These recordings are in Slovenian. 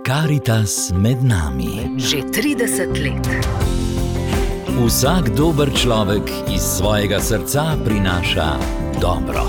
Karitas med nami. Že 30 let. Vsak dober človek iz svojega srca prinaša dobro.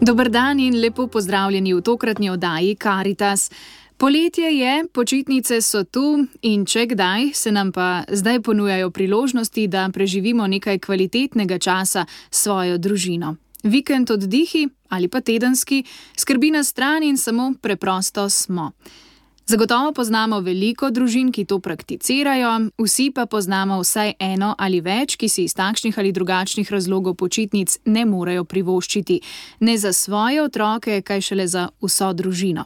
Dober dan in lepo pozdravljeni v tokratni oddaji Karitas. Poletje je, počitnice so tu in če kdaj, se nam pa zdaj ponujajo priložnosti, da preživimo nekaj kvalitetnega časa s svojo družino. Vikend oddihi ali pa tedenski skrbi na stran in samo preprosto smo. Zagotovo poznamo veliko družin, ki to prakticirajo, vsi pa poznamo vsaj eno ali več, ki si iz takšnih ali drugačnih razlogov počitnic ne morejo privoščiti. Ne za svoje otroke, kaj šele za vso družino.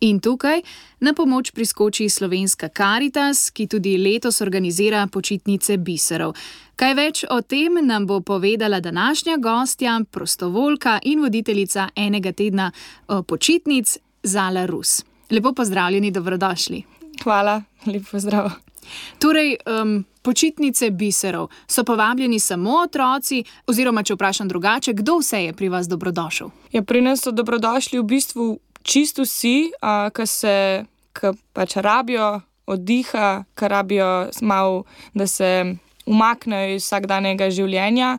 In tukaj na pomoč priskoči slovenska Karitas, ki tudi letos organizira počitnice biserov. Kaj več o tem nam bo povedala današnja gostja, prostovoljka in voditeljica enega tedna počitnic, Zala Rus. Lepo pozdravljeni, dobrodošli. Hvala, lep pozdrav. Torej, počitnice biserov. So povabljeni samo otroci, oziroma če vprašam drugače, kdo vse je pri vas dobrodošel? Ja, pri nas so dobrodošli v bistvu čisto vsi, ki pač rabijo oddiha, ki rabijo malo, da se umaknejo iz vsakdanjega življenja.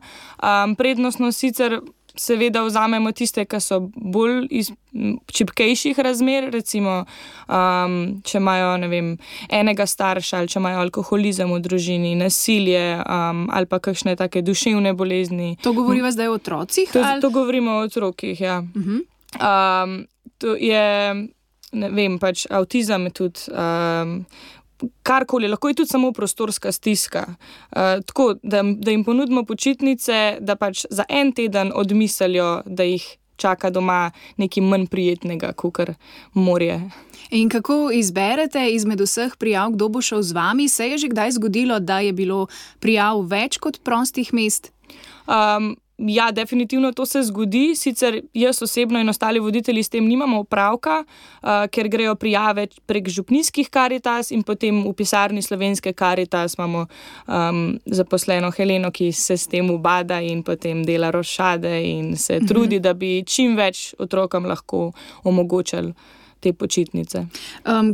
Prednostno sicer seveda vzamemo tiste, ki so bolj iz čipkejših razmer, recimo, če imajo, enega starša ali če imajo alkoholizem v družini, nasilje ali pa kakšne take duševne bolezni. To govoriva zdaj o otrocih? To govorimo o otrokih, ja. To je, pač avtizem je tudi, karkoli, lahko je tudi samo prostorska stiska. Tako, da jim ponudimo počitnice, da pač za en teden odmislijo, da jih čaka doma nekaj manj prijetnega, kakor morje. In kako izberete izmed vseh prijav, kdo bo šel z vami? Se je že kdaj zgodilo, da je bilo prijav več kot prostih mest? Ja, definitivno to se zgodi, sicer jaz osebno in ostali voditelji s tem nimamo opravka, ker grejo prijave prek župnijskih Karitas in potem v pisarni slovenske Karitas imamo zaposleno Heleno, ki se s tem ubada in potem dela rošade in se trudi, da bi čim več otrokom lahko omogočili te počitnice.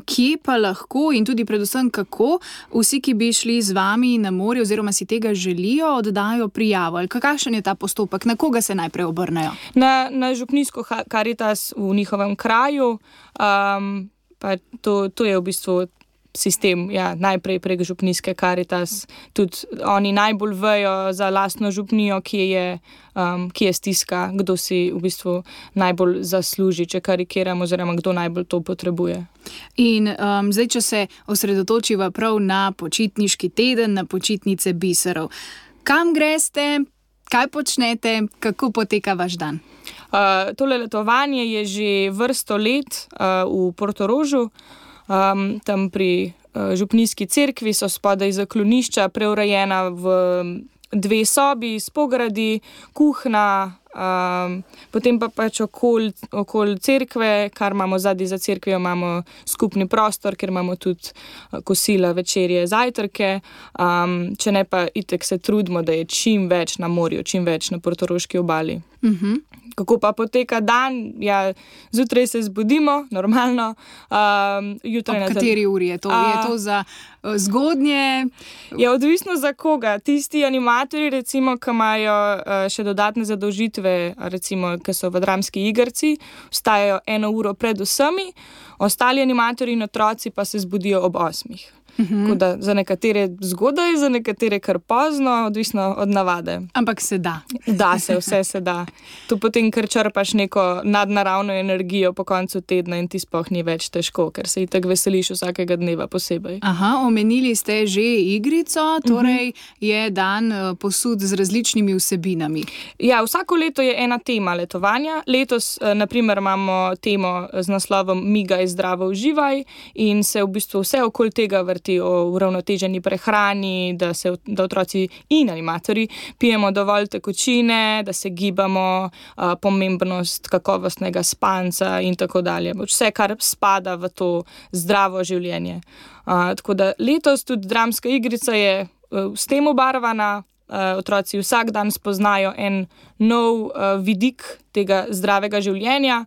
Kje pa lahko in tudi predvsem kako vsi, ki bi šli z vami na morje oziroma si tega želijo, oddajo prijavo? Ali kakšen je ta postopek? Na koga se najprej obrnejo? Na župnijsko Karitas v njihovem kraju. Pa to je v bistvu sistem, ja, najprej prek župnijske Karitas. Tudi oni najbolj vejo za lastno župnijo, kje je stiska, kdo si v bistvu najbolj zasluži, če karikiramo, oziroma kdo najbolj to potrebuje. In zdaj, če se osredotočiva prav na počitniški teden, na počitnice biserov. Kam greste, kaj počnete, kako poteka vaš dan? Tole letovanje je že vrsto let v Portorožu. Tam pri župnijski cerkvi so spodaj zaklonišča preurejena v 2 sobi s pogradi, kuhna, potem pa pač okoli cerkve, kar imamo zadaj za cerkvijo, imamo skupni prostor, kjer imamo tudi kosila, večerje, zajtrke, če ne pa itek se trudimo, da je čim več na morju, čim več na portoroški obali. Kako pa poteka dan? Ja, zjutraj se zbudimo, normalno. Ob kateri uri je to? Je to za zgodnje? Je odvisno za koga. Tisti animatorji, recimo, ki imajo še dodatne zadolžitve, recimo, ki so v dramski igrci, vstajajo 1 uro pred vsemi, ostali animatorji in otroci pa se zbudijo ob 8. Tako da za nekatere zgodaj, za nekatere kar pozno, odvisno od navade. Ampak se da. Da se, vse se da. Tu potem kar črpaš neko nadnaravno energijo po koncu tedna in ti sploh ni več težko, ker se itak veseliš vsakega dneva posebej. Omenili ste že igrico, torej je dan posud z različnimi vsebinami. Ja, vsako leto je ena tema letovanja. Letos, naprimer, imamo temo z naslovom Migaj, zdravo uživaj in se v bistvu vse okoli tega vrti o uravnoteženi prehrani, da otroci in animatorji pijemo dovolj tekočine, da se gibamo, pomembnost kakovostnega spanca in tako dalje. Vse, kar spada v to zdravo življenje. Tako da letos tudi dramska igrica je s tem obarvana, otroci vsak dan spoznajo en nov vidik tega zdravega življenja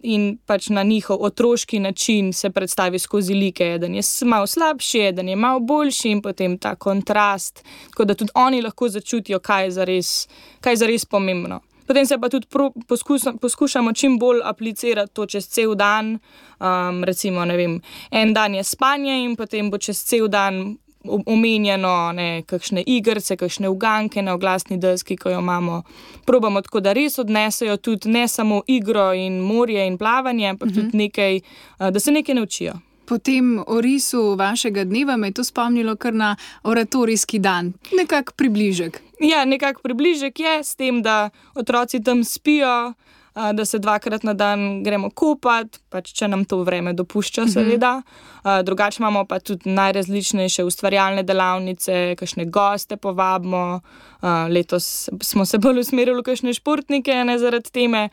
in pač na njihov otroški način se predstavi skozi like, eden je malo slabši, eden je malo boljši in potem ta kontrast, tako da tudi oni lahko začutijo, kaj je zares pomembno. Potem se pa tudi poskušamo čim bolj aplicirati to čez cel dan, recimo, ne vem, en dan je spanje in potem bo čez cel dan omenjeno kakšne igrice, kakšne uganke na oglasni deski, ko jo imamo. Probamo tako, da res odnesejo tudi ne samo igro in morje in plavanje, ampak tudi nekaj, da se nekaj naučijo. Po tem orisu vašega dneva me je to spomnilo kar na oratorijski dan. Nekak približek. Ja, nekak približek je s tem, da otroci tam spijo, da se 2-krat na dan gremo kopati, pač če nam to vreme dopušča, seveda. Drugače imamo pa tudi najrazličnejše ustvarjalne delavnice, kakšne goste povabimo. Letos smo se bolj usmerili v kakšne športnike, ne zaradi teme,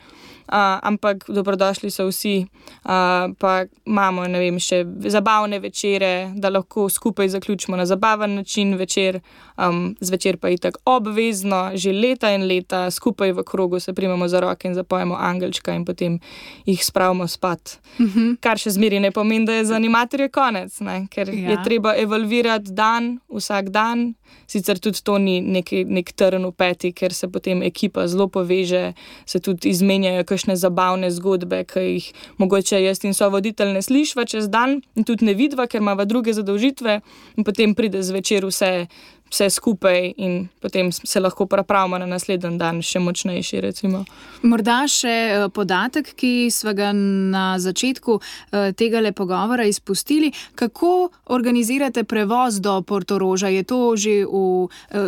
ampak dobrodošli so vsi. Pa imamo, ne vem, še zabavne večere, da lahko skupaj zaključimo na zabaven način večer. Zvečer pa itak obvezno, že leta in leta skupaj v krogu se primemo za roke in zapojemo angelčka in potem jih spravimo spat. Kar še zmeri ne pomeni, da je za animatorje konec, ne? Ker je treba evalvirati dan, vsak dan. Sicer tudi to ni nek trn v peti, ker se potem ekipa zelo poveže, se tudi izmenjajo kakšne zabavne zgodbe, ki jih mogoče jaz in sovoditelj ne slišva čez dan in tudi ne vidva, ker imava druge zadolžitve in potem pride zvečer vse skupaj in potem se lahko pripravimo na naslednji dan še močnejši, recimo. Morda še podatek, ki sva ga na začetku tegale pogovora izpustili. Kako organizirate prevoz do Portoroža? Je to že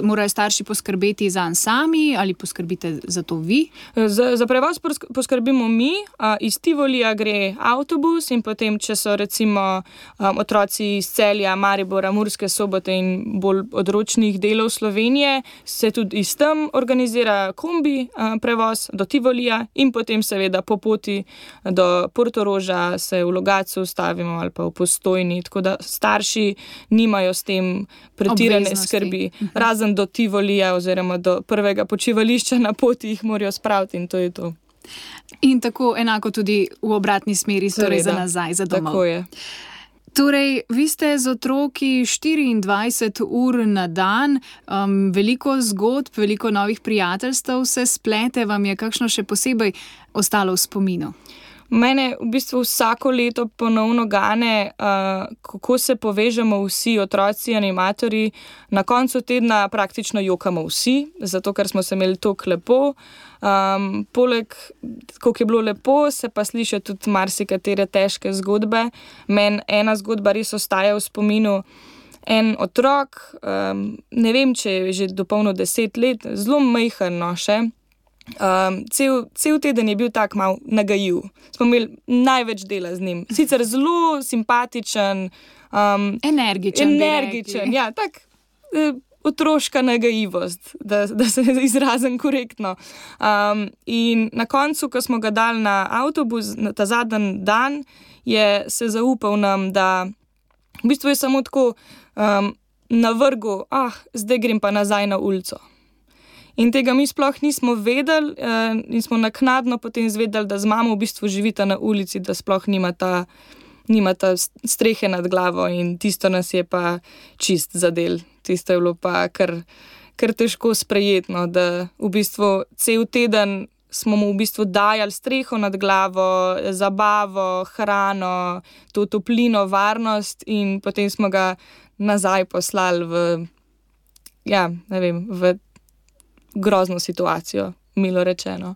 morajo starši poskrbeti zanj sami ali poskrbite za to vi? Za prevoz poskrbimo mi. Iz Tivolija gre avtobus in potem, če so recimo otroci iz Celja, Maribora, Murske Sobote in bolj odročnih delov Slovenije, se tudi iz tam organizira kombi prevoz do Tivolija in potem seveda po poti do Portoroža se v Logatcu ustavimo ali pa v Postojni, tako da starši nimajo s tem pretirane skrbi. Razen do Tivolija oziroma do prvega počivališča na poti jih morajo spraviti in to je to. In tako enako tudi v obratni smeri, torej za nazaj, za domov. Tako je. Torej, vi ste z otroki 24 ur na dan, veliko zgodb, veliko novih prijateljstev se splete, vam je kakšno še posebej ostalo v spominu? Mene v bistvu vsako leto ponovno gane, kako se povežemo vsi otroci, animatorji. Na koncu tedna praktično jokamo vsi, zato ker smo se imeli toliko lepo. Poleg, koliko je bilo lepo, se pa slišijo tudi marsikatere težke zgodbe. Meni ena zgodba res ostaja v spominu. En otrok, ne vem, če je že dopolnil 10 let, zelo majhen še. Cel teden je bil tak mal nagajiv. Smo imeli največ dela z njim. Sicer zelo simpatičen, energičen, ja, tak otroška nagajivost, da se izrazim korektno. In na koncu, ko smo ga dali na avtobus, na ta zadnji dan, je se zaupal nam, da v bistvu je samo tako navrgel, zdaj grem pa nazaj na ulico. In tega mi sploh nismo vedeli in smo naknadno potem izvedeli, da z mamo v bistvu živita na ulici, da sploh nimata strehe nad glavo in tisto nas je pa čist zadel. Tisto je bilo pa kar težko sprejetno, da v bistvu cel teden smo mu v bistvu dajali streho nad glavo, zabavo, hrano, to toplino, varnost in potem smo ga nazaj poslali v grozno situacijo, milo rečeno.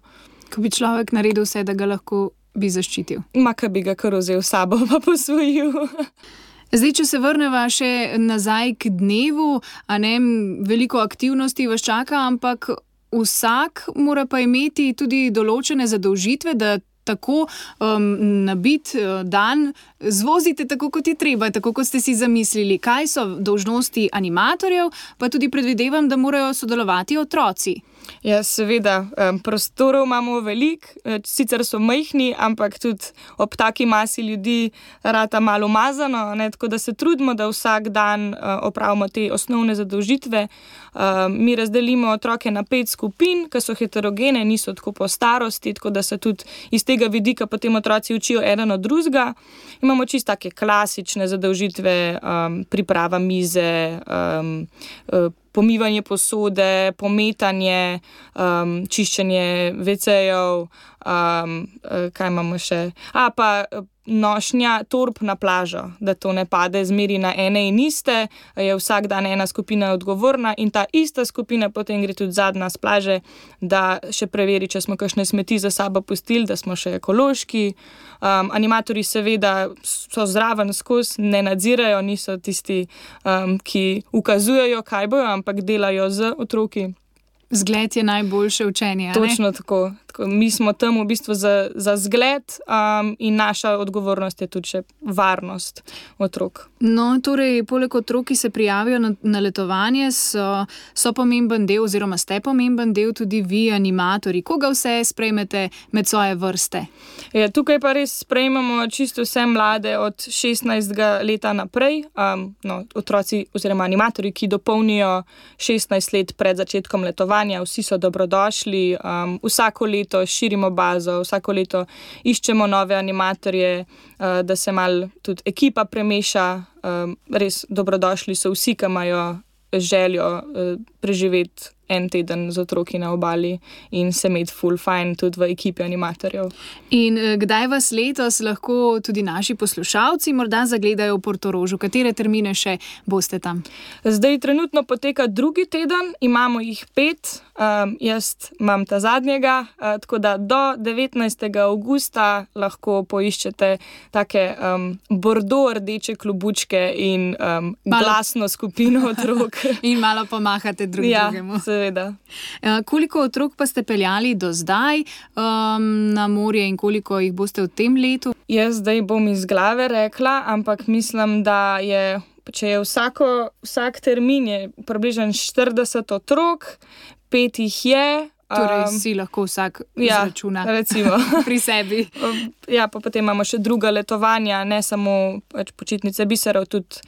Ko bi človek naredil vse, da ga lahko bi zaščitil. Ka bi ga kar vzel sabo pa posvojil. Zdaj, če se vrneva še nazaj k dnevu, veliko aktivnosti vas čaka, ampak vsak mora pa imeti tudi določene zadolžitve, da tako nabit dan zvozite tako, kot je treba, tako, kot ste si zamislili? Kaj so dolžnosti animatorjev, pa tudi predvidevam, da morajo sodelovati otroci? Ja, seveda, prostorov imamo veliko, sicer so majhni, ampak tudi ob taki masi ljudi rata malo umazano, ne, tako da se trudimo, da vsak dan opravimo te osnovne zadolžitve. Mi razdelimo otroke na 5 skupin, ki so heterogene, niso tako po starosti, tako da se tudi iz tega vidika potem otroci učijo eden od drugega. Imamo čisto take klasične zadolžitve, priprava mize, pomivanje posode, pometanje, čiščenje WC-jev, kaj imamo še? Pa nošnja torb na plažo, da to ne pade zmeri na ene in iste, je vsak dan ena skupina odgovorna in ta ista skupina potem gre tudi zadnja s plaže, da še preveri, če smo kakšne smeti za sabo pustili, da smo še ekološki. Animatorji seveda so zraven skozi, ne nadzirajo, niso tisti, ki ukazujejo, kaj bojo, ampak delajo z otroki. Zgled je najboljše učenje, ne? Točno tako. Mi smo tam v bistvu za zgled in naša odgovornost je tudi še varnost otrok. No, torej, poleg otrok, ki se prijavijo na letovanje, so pomemben del oziroma ste pomemben del tudi vi, animatorji. Koga vse sprejmete med svoje vrste? Ja, tukaj pa res sprejmemo čisto vse mlade od 16. leta naprej. Otroci oziroma animatorji, ki dopolnijo 16 let pred začetkom letovanja, vsi so dobrodošli. Vsako leto širimo bazo, vsako leto iščemo nove animatorje, da se malo tudi ekipa premeša. Res dobrodošli so vsi, ki imajo željo preživeti en teden z otroki na obali in se imeti ful fajn tudi v ekipi animatorjev. In kdaj vas letos lahko tudi naši poslušalci morda zagledajo v Portorožu? Katere termine še boste tam? Zdaj trenutno poteka 2. teden, imamo jih 5, jaz imam ta zadnjega, tako da do 19. avgusta lahko poiščete take bordo-rdeče klobučke in glasno skupino otrok. In malo pomahate drugemu. Seveda. Koliko otrok pa ste peljali do zdaj na morje in koliko jih boste v tem letu? Jaz zdaj bom iz glave rekla, ampak mislim, da je, če je vsak termin je približno 40 otrok, 5 jih je. Torej si lahko vsak izračuna recimo. Pri sebi. Ja, pa potem imamo še druga letovanja, ne samo počitnice biserov, tudi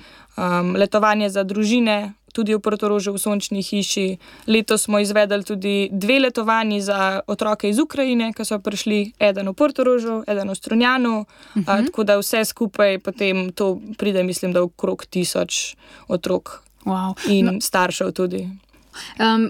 letovanje za družine, tudi v Portorožu v Sončni hiši. Letos smo izvedli tudi 2 letovanji za otroke iz Ukrajine, ki so prišli, eden v Portorožu, eden v Strunjanu, tako da vse skupaj potem to pride, mislim, da okrog 1000 otrok. Wow. In staršev tudi.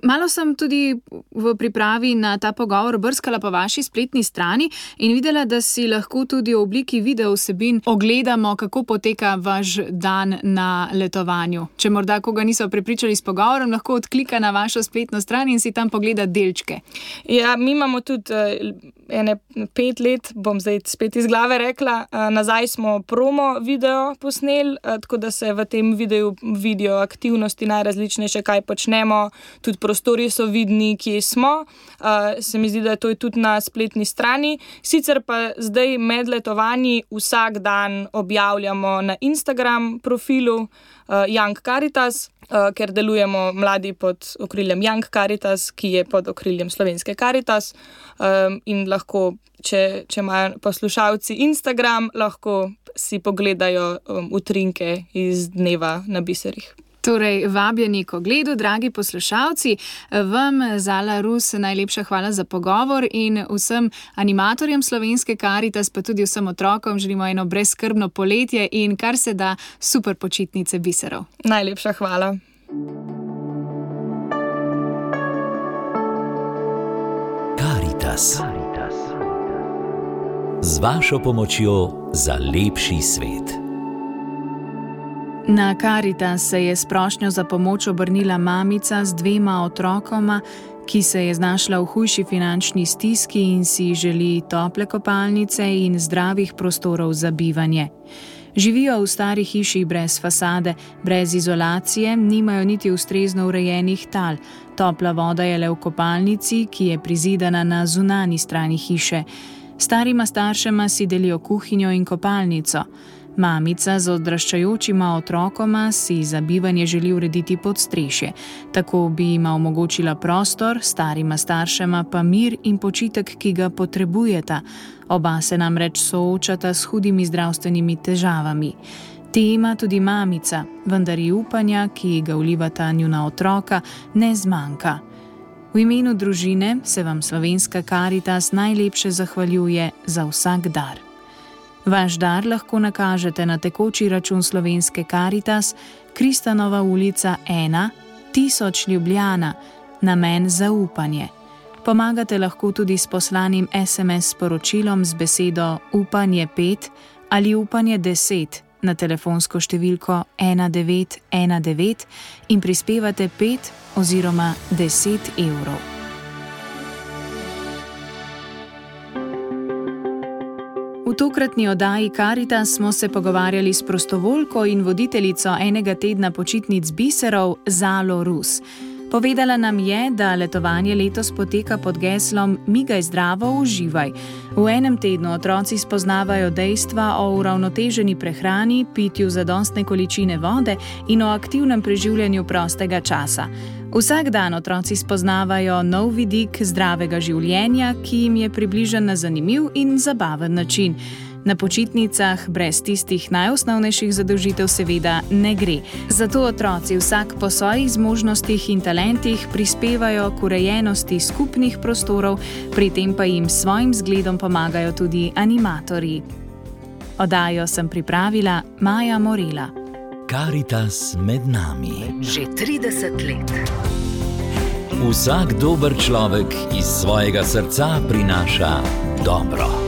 Malo sem tudi v pripravi na ta pogovor brskala po vaši spletni strani in videla, da si lahko tudi v obliki video vsebin ogledamo, kako poteka vaš dan na letovanju. Če morda koga niso prepričali s pogovorom, lahko odklika na vašo spletno stran in si tam pogleda delčke. Ja, mi imamo tudi 5 let, bom zdaj spet iz glave rekla, nazaj smo promo video posneli, tako da se v tem videu vidijo aktivnosti najrazličnejše, kaj počnemo. Tudi prostori so vidni, kje smo. Se mi zdi, da to je tudi na spletni strani. Sicer pa zdaj med letovanji vsak dan objavljamo na Instagram profilu Young Caritas, ker delujemo mladi pod okriljem Young Caritas, ki je pod okriljem Slovenske Caritas. In lahko, če imajo poslušalci Instagram, lahko si pogledajo utrinke iz dneva na biserih. Torej, vabljeni k ogledu, dragi poslušalci. Vam, Zala Rus, najlepša hvala za pogovor in vsem animatorjem Slovenske Caritas, pa tudi vsem otrokom želimo eno brezskrbno poletje in kar se da super počitnice biserov. Najlepša hvala. Caritas. Z vašo pomočjo za lepši svet. Na Caritas se je s prošnjo za pomoč obrnila mamica z 2 otrokoma, ki se je znašla v hujši finančni stiski in si želi tople kopalnice in zdravih prostorov za bivanje. Živijo v stari hiši brez fasade, brez izolacije, nimajo niti ustrezno urejenih tal. Topla voda je le v kopalnici, ki je prizidana na zunanji strani hiše. Starima staršema si delijo kuhinjo in kopalnico. Mamica z odraščajočima otrokoma si za bivanje želi urediti podstrešje. Tako bi jima omogočila prostor, starima staršema pa mir in počitek, ki ga potrebujeta. Oba se namreč soočata s hudimi zdravstvenimi težavami. Te ima tudi mamica, vendar ji upanja, ki ga vlivata njuna otroka, ne zmanjka. V imenu družine se vam Slovenska Karitas najlepše zahvaljuje za vsak dar. Vaš dar lahko nakažete na tekoči račun Slovenske Karitas, Kristanova ulica 1, 1000 Ljubljana, namen zaupanje. Pomagate lahko tudi s poslanim SMS sporočilom z besedo upanje 5 ali upanje 10 na telefonsko številko 1919 in prispevate 5 oziroma 10 evrov. V tokratni oddaji Karitas smo se pogovarjali s prostovoljko in voditeljico enega tedna počitnic biserov Zalo Rus. Povedala nam je, da letovanje letos poteka pod geslom Migaj zdravo, uživaj. V enem tednu otroci spoznavajo dejstva o uravnoteženi prehrani, pitju zadostne količine vode in o aktivnem preživljanju prostega časa. Vsak dan otroci spoznavajo nov vidik zdravega življenja, ki jim je približan na zanimiv in zabaven način. Na počitnicah brez tistih najosnovnejših zadolžitev seveda ne gre. Zato otroci vsak po svojih zmožnostih in talentih prispevajo k urejenosti skupnih prostorov, pri tem pa jim s svojim zgledom pomagajo tudi animatorji. Oddajo sem pripravila Maja Morela. Karitas med nami. Že 30 let. Vsak dober človek iz svojega srca prinaša dobro.